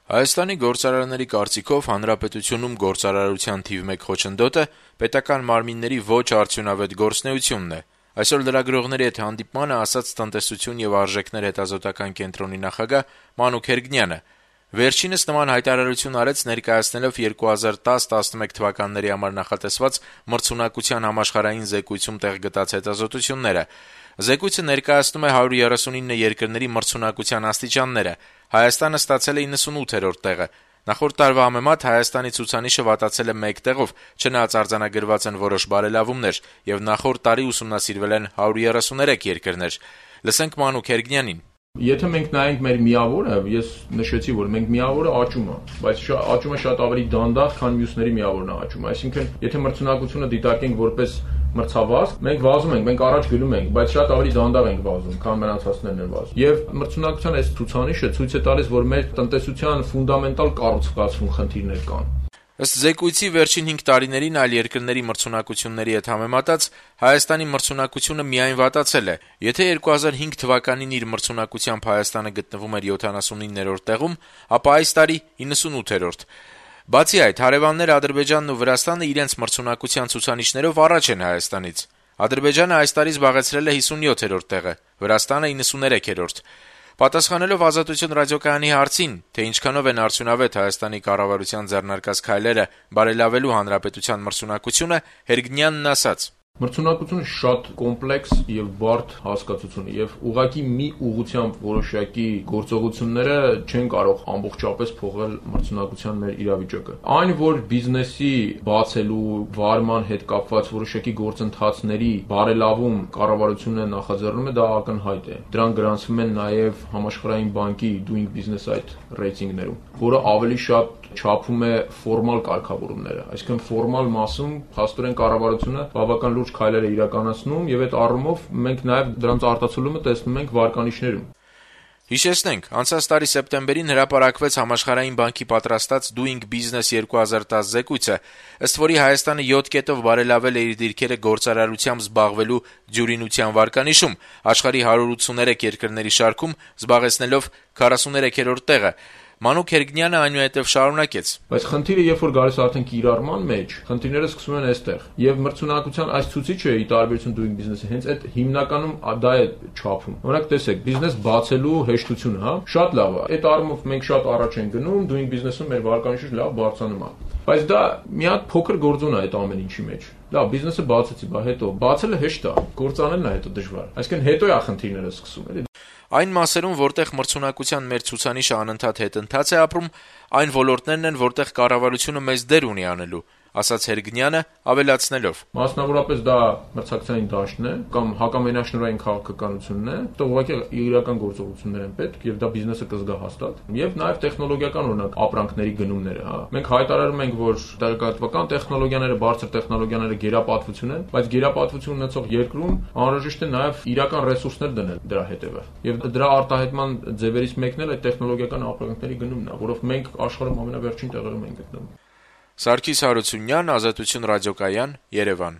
Հայաստանի գործարարների կարծիքով հանրապետությունում գործարարության թիվ 1 խոչընդոտը պետական մարմինների ոչ արդյունավետ գործունեությունն է։ Այսօր լրագրողների հետ հանդիպմանը ասաց տնտեսություն եւ արժեքներ հետազոտական կենտրոնի նախագահ Մանուկ Հերգնյանը։ Վերջինս նման հայտարարություն արեց ներկայացնելով 2010-11 թվականների համար նախատեսված մրցունակության համաշխարհային զեկույցում տեղ գտած հետազոտությունները։ Զեկույցը ներկայացնում է 139 երկրների մրցունակության աստիճանները։ Հայաստանը ստացել է 98-րդ տեղը։ Նախորդ տարվա համեմատ Հայաստանի ցուցանիշը վատացել է 1 տեղով, չնայած արձանագրված են որոշ բարելավումներ, եւ նախորդ տարի ուսումնասիրվել են 133 երկրներ։ Լսենք Մանուկ Հերգնյանին։ Եթե մենք նայենք մեր միավորը, ես նշեցի, որ մենք միավորը աճում է, բայց աճումը շատ ավելի դանդաղ, քան մյուսների միավորն է աճում։ Այսինքն, եթե մրցունակությունը դիտարկենք որպես մրցավազք, մենք վազում ենք, մենք առաջ գնում ենք, բայց շատ ավելի դանդաղ ենք վազում, քան մնացածներն են վազում։ Եվ մրցունակության այս ցուցանիշը ցույց է տալիս, որ մեր տնտեսության ֆունդամենտալ կառուցվածքում խնդիրներ կան։ Ըստ զեկույցի վերջին 5 տարիներին այլ երկրների մրցունակությունների հետ համեմատած Հայաստանի մրցունակությունը միայն վատացել է։ Եթե 2005 թվականին իր մրցունակությամբ Հայաստանը գտնվում էր 79-րդ տեղում, ապա այս տարի 98-րդ։ Բացի այդ, հարևաններ Ադրբեջանն ու Վրաստանը իրենց մրցունակության ցուցանիշներով առաջ են Հայաստանից։ Ադրբեջանը այս տարի զբաղեցրել է 57-րդ տեղը, Վրաստանը 93-րդ։ Պատասխանելով Ազատություն ռադիոկայանի հարցին, թե ինչքանով են արդյունավետ Հայաստանի կառավարության ձեռնարկած քայլերը բարելավելու հանրապետության մրցունակությունը, Հերգնյանն ասաց. Մրցունակությունը շատ կոմպլեքս եւ բարդ հասկացություն է եւ ուղղակի մի ուղղությամբ որոշակի գործողությունները չեն կարող ամբողջապես փոխել մրցունակության մեր իրավիճակը։ Այն, որ բիզնեսի բացելու, վարման հետ կապված որոշակի գործընթացների բարելավում կառավարությունը նախաձեռնում է, դա ակնհայտ է։ Դրան գրանցվում են նաեւ Համաշխարհային բանկի Doing Business այդ ռեյտինգներում, որը ավելի շատ չափում է ֆորմալ կարգավորումները, այսինքն ֆորմալ մասում փաստորեն կառավարությունը բավական լուրջ քայլեր է իրականացնում եւ այդ առումով մենք նաեւ դրանց արտացոլումը տեսնում ենք վարկանիշներում։ Հիշեցնենք, անցած տարի սեպտեմբերին հրապարակվեց Համաշխարհային բանկի պատրաստած Doing Business 2010 զեկույցը, ըստ որի Հայաստանը 7 կետով բարելավել է իր դիրքերը գործարարությամբ զբաղվելու դյուրինության վարկանիշում, աշխարհի 183 երկրների շարքում զբաղեցնելով 43-րդ տեղը։ Մանուկ Հերգնյանը այնուհետև շարունակեց. Բայց խնդիրը, երբ որ գալիս արդեն կիրառման մեջ, խնդիրները սկսվում են այստեղ։ Եվ մրցունակության այս ցուցիչը՝ ի տարբերություն Doing Business-ի, հենց այդ հիմնականում դա է չափում։ Օրինակ, տեսեք, բիզնես բացելու հեշտությունը, հա, շատ լավ է։ Այդ առումով մենք շատ առաջ ենք գնում, Doing Business-ում մեր վարկանիշը լավ բարձրանում է։ Բայց դա մի հատ փոքր գործոն է այդ ամեն ինչի մեջ։ Լավ, բիզնեսը բացեցի, բա հետո բացելը հեշտ է, գործանելն է հետո դժվար։ Այսինքն հետո է խնդիրները սկսում, էլի։ Այն մասերում, որտեղ մրցունակության մեր ցուցանիշը անընդհատ հետընթաց է ապրում, այն ոլորտներն են, որտեղ կառավարությունը մեծ դեր ունի անելու, ասաց Հերգնյանը, ավելացնելով. Մասնավորապես դա մրցակցային դաշտն է կամ հակամենաշնորհային քաղաքականությունն է, դա ուղղակի իրական գործողություններ են պետք եւ դա բիզնեսը կզգա հաստատ։ Եվ նաեւ տեխնոլոգիական օրինակ ապրանքների գնումները, հա։ Մենք հայտարարում ենք, որ տեղեկատվական տեխնոլոգիաները, բարձր տեխնոլոգիաները գերապատվություն են, բայց գերապատվություն ունեցող երկրում անհրաժեշտ է նաեւ իրական ռեսուրսներ դնել դրա հետևը։ Եվ դրա արտահայտման ձևերից մեկն էլ այդ տեխնոլոգիական ապրանքների գնումն է, որով մենք աշխարհում ամենավերջին տեղերում ենք գտնվում։ Սարգիս Հարությունյան, Ազատություն ռադիոկայան, Երևան։